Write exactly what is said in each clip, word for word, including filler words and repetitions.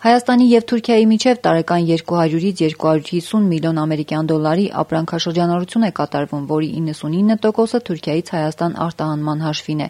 Հայաստանի և Թուրքիայի միջև տարեկան երկու հարյուրից երկու հարյուր հիսուն միլիոն ամերիկյան դոլարի ապրանքաշրջանառություն է կատարվում, որի իննսունինը տոկոսը Թուրքիայից Հայաստան արտահանման հաշվին է։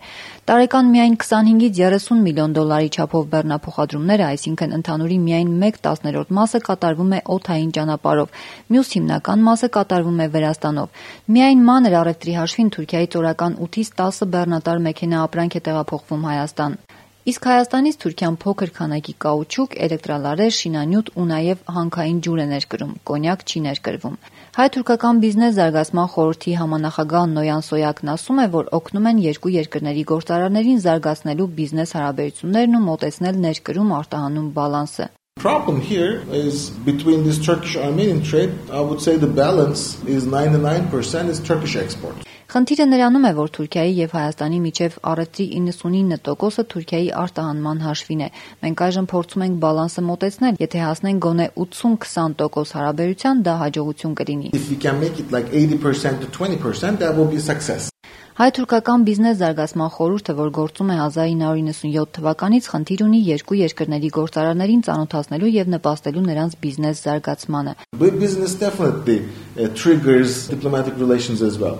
Տարեկան միայն քսանհինգից երեսուն միլիոն դոլարի չափով բեռնափոխադրումները, այսինքն ընդհանուրի միայն մեկ տասներորդ մասը կատարվում է օդային ճանապարհով, մյուս հիմնական մասը կատարվում է Վրաստանով։ Միայն մանր առևտրի հաշվին Թուրքիայից օրական ութից տասը բեռնատար մեքենա ապրանք է տեղափոխվում Հայաստան։ Իսկ Հայաստանից Թուրքիան փոքր քանակի կաուչուկ, էլեկտրալարեր, շինանյութ ու նաև հանքային ջուր է ներկրում, կոնյակ չի ներկրվում։ Հայ-թուրքական բիզնես զարգացման խորհրդի համանախագահ Նոյան Սոյակն ասում է, որ օգնում են երկու երկրների գործարարներին զարգացնելու բիզնես հարաբերություններն ու մոտեցնել ներկրում-արտահանում բալանսը։ Problem here is between this Turkish-Armenian trade, I would say the balance is ninety-nine percent is Turkish export. Խնդիրը նրանում է, որ Թուրքիայի եւ Հայաստանի միջև առևտրի իննսունինը տոկոսը Թուրքիայի արտահանման հաշվին է։ Մենք այժմ փորձում ենք բալանսը մոտեցնել, եթե հասնենք գոնե ութսուն քսան տոկոս հարաբերության, դա հաջողություն կլինի։ If we can make it like eighty percent to twenty percent, that will be a success. Հայ-թուրքական բիզնես զարգացման խորհուրդը, որ գործում է հազար ինը հարյուր իննսունյոթ թվականից, խնդիր ունի երկու երկրների գործարարներին ծանոթացնելու եւ նպաստելու նրանց բիզնես զարգացմանը։ Business definitely uh, triggers diplomatic relations as well.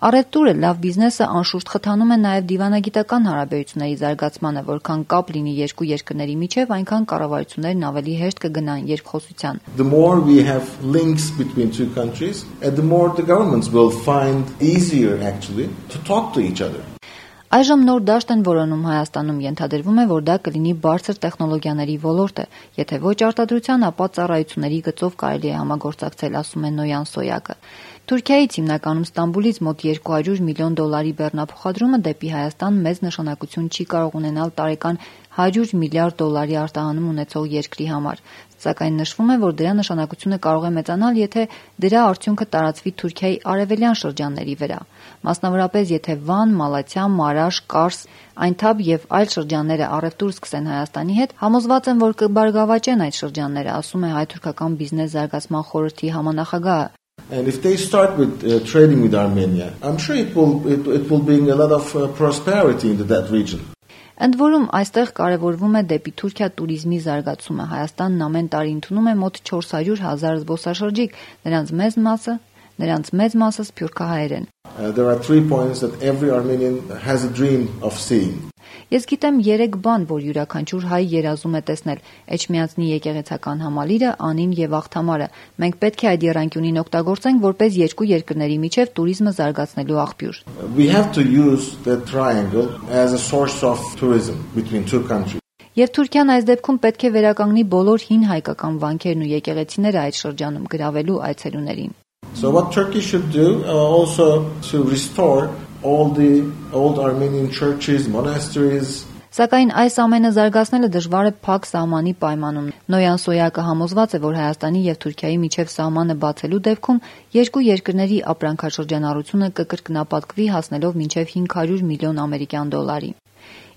Առևտուրը, լավ բիզնեսը անշուշտ խթանում է նաև դիվանագիտական հարաբերությունների զարգացմանը, որքան կապ լինի երկու երկրների միջև, այնքան կառավարություններն ավելի հեշտ կգնան երկխոսության։ The more we have links between two countries, and the more the governments will find easier actually to talk to each other. Այժմ նոր դաշտ են որոնում Հայաստանում, ենթադրվում է, որ դա կլինի բարձր տեխնոլոգիաների ոլորտը, եթե ոչ արտադրության, ապա ծառայությունների գծով կարելի է համագործակցել, ասում է Նոյան Սոյակը։ Թուրքիայից հիմնականում Ստամբուլից մոտ երկու հարյուր միլիոն դոլարի բեռնափոխադրումը դեպի Հայաստան մեծ նշանակություն չի կարող ունենալ տարեկան հարյուր միլիարդ դոլարի արտահանում ունեցող երկրի համար, սակայն նշվում է, որ դրա նշանակությունը կարող է մեծանալ, եթե դրա արդյունքը տարածվի Թուրքիայի արևելյան շրջանների վրա, մասնավորապես եթե Վան, Մալաթիա, Մարաշ, Կարս, Այնթաբ եւ այլ շրջանները առևտուր սկսեն Հայաստանի հետ, համոզված եմ, որ կբարգավաճեն այդ շրջանները, ասում է Հայ-թուրքական բիզնես զարգացման խորհրդի համանախագահը։ And if they start with uh, trading with Armenia, I'm sure it will it, it will bring a lot of uh, prosperity into that region. Ընդ որում այստեղ կարևորվում է դեպի Թուրքիա туриզմի զարգացումը։ Հայաստանն ամեն տարի ընդունում է մոտ չորս հարյուր հազար զբոսաշրջիկ, նրանց մեծ մասը, նրանց մեծ մասը սփյուռքահայեր են։ Uh, there are three points that every Armenian has a dream of seeing. Ես գիտեմ երեք բան, որ յուրաքանչյուր հայ երազում է տեսնել՝ Էջմիածնի եկեղեցական համալիրը, Անին եւ Աղթամարը։ Մենք պետք է այդ եռանկյունին օգտագործենք որպես երկու երկրների միջև туриզմը զարգացնելու աղբյուր։ We have to use the triangle as a source of tourism between two countries. Եվ Թուրքիան այս դեպքում պետք է վերականգնի բոլոր հին հայկական վանքերն ու եկեղեցիները այդ շրջանում գրավելու այցելուներին։ So what Turkey should do uh, also to restore all the old Armenian churches, monasteries. Սակայն այս ամենը զարգացնելը դժվար է փակ սահմանի պայմանում։ Նոյան Սոյակը համոզված է, որ Հայաստանի եւ Թուրքիայի միջև սահմանը բացելու դեպքում երկու երկրների ապրանքաշրջանառությունը կկրկնապատկվի հասնելով մինչև հինգ հարյուր միլիոն ամերիկյան դոլարի։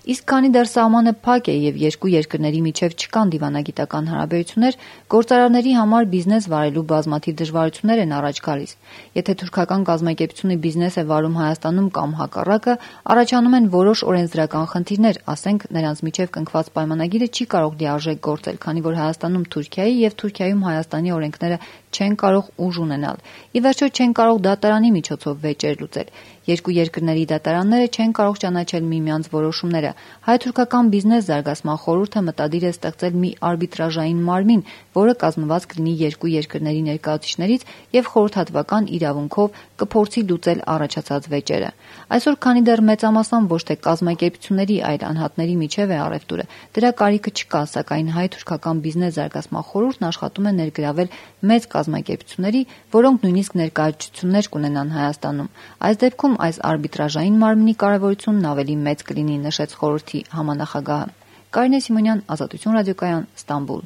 Իսկ քանի դեռ սահմանը փակ է եւ երկու երկրների միջև չկան դիվանագիտական հարաբերություններ, գործարարների համար բիզնես վարելու բազմաթիվ դժվարություններ են առաջ գալիս։ Եթե թուրքական կազմակերպությունը բիզնես է վարում Հայաստանում կամ հակառակը, առաջանում են որոշ օրենսդրական խնդիրներ, ասենք նրանց միջև կնքված պայմանագիրը չի կարող լիարժեք գործել, քանի որ Հայաստանում Թուրքիայի եւ Թուրքիայում Հայաստանի օրենքները չեն կարող ուժ ունենալ։ Ի վերջո չեն կարող դատարանի միջոցով վեճեր լուծել։ Երկու երկրների դատարանները չեն կարող ճանաչել միմյանց որոշումները։ Հայ-թուրքական բիզնես զարգացման խորհուրդը մտադիր է ստեղծել մի արբիտրաժային մարմին, որը կազմված կլինի երկու երկրների ներկայացուցիչներից եւ խորհրդատվական իրավունքով կփորձի լուծել առաջացած վեճերը։ Այսօր քանի դեռ մեծամասամբ ոչ թե կազմակերպությունների, այլ անհատների միջև է առևտուրը, դրա կարիքը չկա, սակայն հայ-թուրքական բիզնես զարգացման խորհուրդն աշխատում է ներգրավել մեծ կազմակերպությունների, որոնք նույնիսկ ներկայացություններ կունենան Հայաստանում։ Այս դեպքում այս արբիտրաժային մարմնի կարևորությունն ավելի մեծ կլինի, նշեց խորհրդի համանախագահը։ Կարինե Սիմոնյան, Ազատություն ռադիոկայան, Ստամբուլ։